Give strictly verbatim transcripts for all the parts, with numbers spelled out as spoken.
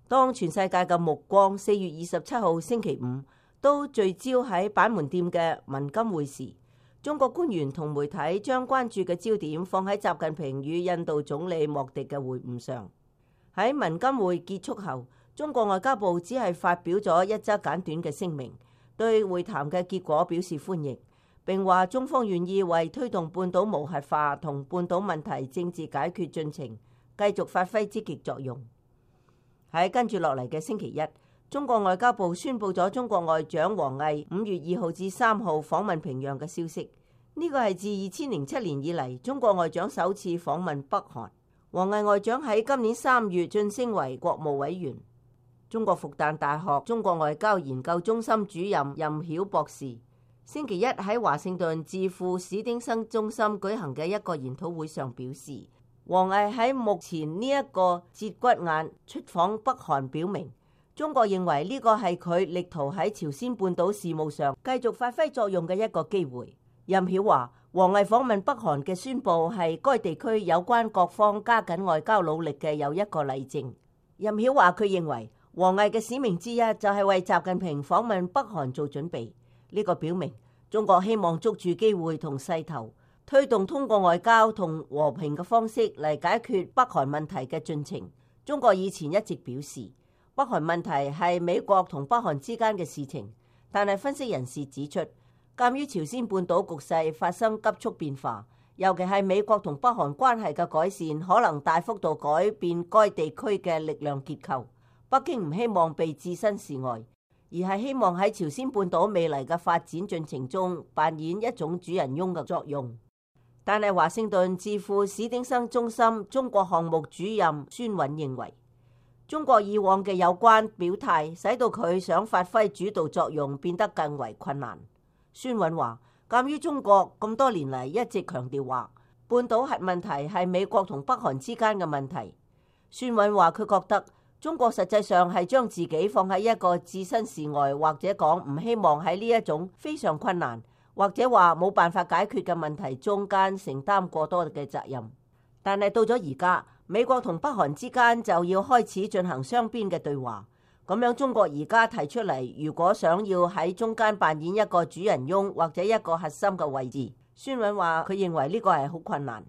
當全世界嘅目光四月二十七號星期五都聚焦喺板門店嘅文金會時，中國官員同媒體將關注嘅焦點放喺習近平與印度總理莫迪嘅會晤上。喺文金會結束後，中國外交部只係發表咗一則簡短嘅聲明，對會談嘅結果表示歡迎，並話中方願意為推動半島無核化同半島問題政治解決進程繼續發揮積極作用。喺跟住落嚟嘅星期一，中國外交部宣布咗中國外長王毅五月二號至三號訪問平壤嘅消息。呢個係自二千零七年以嚟中國外長首次訪問北韓。王毅外長喺今年三月晉升為國務委員。中國復旦大學中國外交研究中心主任任曉博士星期一喺華盛頓智庫史丁生中心舉行嘅一個研討會上表示，王毅喺目前呢一個節骨眼出訪北韓，表明中國認為呢個係佢力圖喺朝鮮半島事務上繼續發揮作用嘅一個機會。任曉話，王毅訪問北韓嘅宣佈係該地區有關各方加緊外交努力嘅又一個例證。任曉話，佢認為王毅嘅使命之一就係為習近平訪問北韓做準備。呢個表明中國希望捉住機會同勢頭，推動通過外交同和平嘅方式嚟解決北韓問題嘅進程。中國以前一直表示，北韓問題係美國同北韓之間嘅事情，但係分析人士指出，鑑於朝鮮半島局勢發生急速變化，尤其係美國同北韓關係嘅改善，可能大幅度改變該地區嘅力量結構。北京唔希望被置身事外，而係希望喺朝鮮半島未來嘅發展進程中扮演一種主人翁嘅作用。但係華盛頓智庫史丁生中心中國項目主任孫韻認為，中國以往嘅有關表態使到佢想發揮主導作用變得更為困難。孫韻話，鑑於中國咁多年嚟一直強調話半島核問題係美國同北韓之間嘅問題，孫韻話佢覺得中國實際上係將自己放喺一個置身事外，或者講唔希望喺呢一種非常困難或者話冇辦法解決嘅問題中間承擔過多嘅責任。但係到咗而家，美國同北韓之間就要開始進行雙邊嘅對話。咁樣中國而家提出嚟，如果想要喺中間扮演一個主人翁或者一個核心嘅位置，孫韻話佢認為呢個係好困難。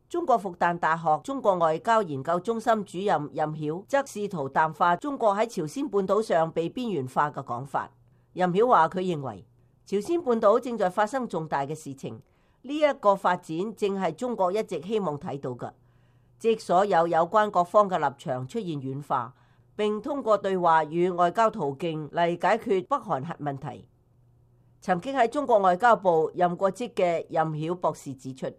中國復旦大學中國外交研究中心主任任曉則試圖淡化中國喺朝鮮半島上被邊緣化嘅講法。任曉話佢認為朝鮮半島正在發生重大嘅事情，呢一個發展正係中國一直希望睇到嘅，即所有有關各方嘅立場出現軟化，並通過對話與外交途徑嚟解決北韓核問題。曾經喺中國外交部任過職嘅任曉博士指出，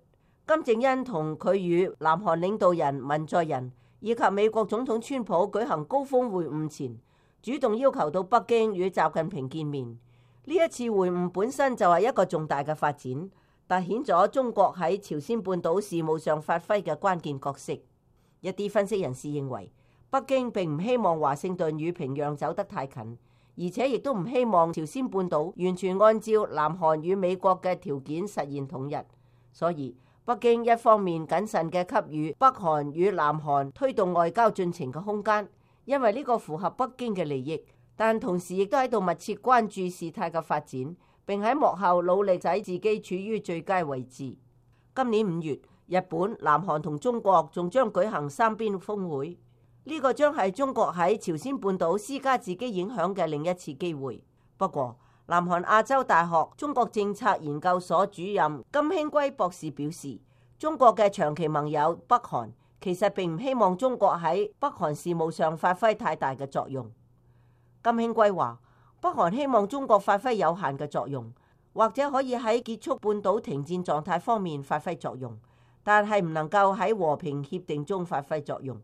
金正恩同佢與南韓領導人文在寅以及美國總統川普舉行高峰會晤前，主動要求到北京與習近平見面。呢一次會晤本身就係一個重大嘅發展，凸顯咗中國喺朝鮮半島事務上發揮嘅關鍵角色。一啲分析人士認為，北京並唔希望華盛頓與平壤走得太近，而且亦都唔希望朝鮮半島完全按照南韓與美國嘅條件實現統一。所以北京一方面謹慎嘅給予北韓與南韓推動外交進程嘅空間，因為呢個符合北京嘅利益。但同時亦都喺度密切關注事態嘅發展，並喺幕後努力使自己處於最佳位置。今年五月，日本、南韓同中國仲將舉行三邊峰會，呢個將係中國喺朝鮮半島施加自己影響嘅另一次機會。不過，南韓亞洲大學中國政策研究所主任金興圭博士表示，中國嘅長期盟友北韓其實並唔希望中國喺北韓事務上發揮太大嘅作用。金興圭話，北韓希望中國發揮有限嘅作用，或者可以喺結束半島停戰狀態方面發揮作用，但係唔能夠喺和平協定中發揮作用。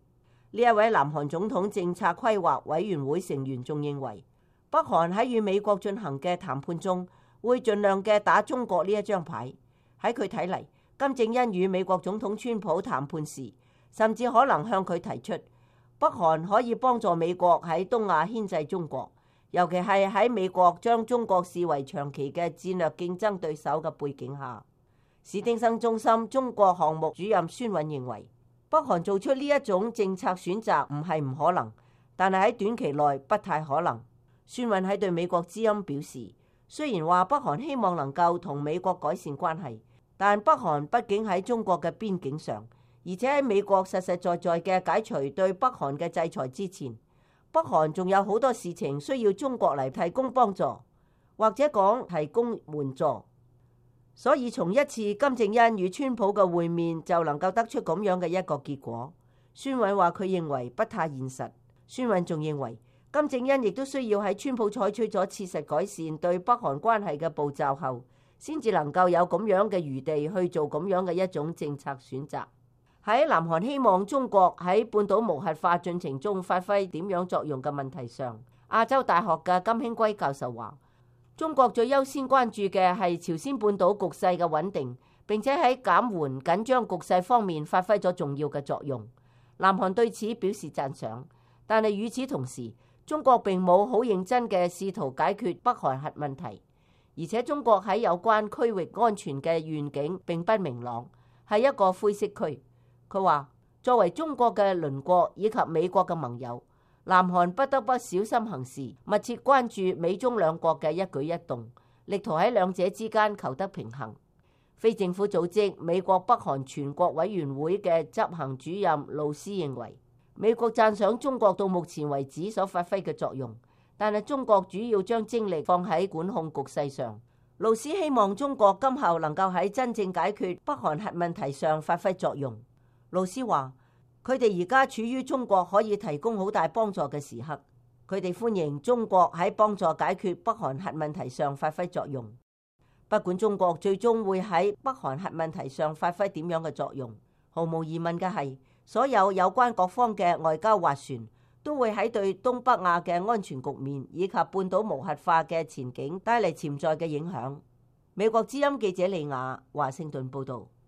呢一位南韓總統政策規劃委員會成員仲認為，北韓喺與美國進行嘅談判中會盡量嘅打中國呢一張牌。喺佢睇嚟，金正恩與美國總統川普談判時，甚至可能向佢提出，北韓可以幫助美國喺東亞牽制中國，尤其係喺美國將中國視為長期嘅戰略競爭對手嘅背景下。史丁生中心中國項目主任孫韻認為，北韓做出呢一種政策選擇唔係唔可能，但係喺短期內不太可能。孫韻喺對美國之音表示，雖然話北韓希望能夠同美國改善關係，但北韓畢竟喺中國嘅邊境上，而且喺美國實實在在嘅解除對北韓嘅制裁之前，北韓仲有好多事情需要中國嚟提供幫助，或者講提供援助。所以從一次金正恩與川普嘅會面就能夠得出咁樣嘅一個結果。孫韻話佢認為不太現實。孫韻仲認為金正恩亦都需要喺川普採取咗切實改善對北韓關係嘅步驟後，先至能夠有咁樣嘅餘地去做咁樣嘅一種政策選擇。喺南韓希望中國喺半島無核化進程中發揮點樣作用嘅問題上，亞洲大學嘅金興圭教授話，中國最優先關注嘅係朝鮮半島局勢嘅穩定，並且喺減緩緊張局勢方面發揮咗重要嘅作用。南韓對此表示讚賞，但係與此同時，中國並冇好認真嘅試圖解決北韓核問題，而且中國喺有關區域安全嘅願景並不明朗，係一個灰色區。佢話，作為中國嘅鄰國以及美國嘅盟友，南韓不得不小心行事，密切關注美中兩國嘅一舉一動，力圖喺兩者之間求得平衡。非政府組織美國北韓全國委員會嘅執行主任盧斯認為，美國讚賞中國到目前為止所發揮嘅作用，但係中國主要將精力放喺管控局勢上。盧斯希望中國今後能夠喺真正解決北韓核問題上發揮作用。盧斯話，佢哋而家處於中國可以提供好大幫助嘅時刻，佢哋歡迎中國喺幫助解決北韓核問題上發揮作用。不管中國最終會喺北韓核問題上發揮點樣嘅作用，毫無疑問嘅係，所有有關各方嘅外交斡旋都會喺對東北亞嘅安全局面以及半島無核化嘅前景帶嚟潛在嘅影響。美國之音記者李雅華盛頓報道。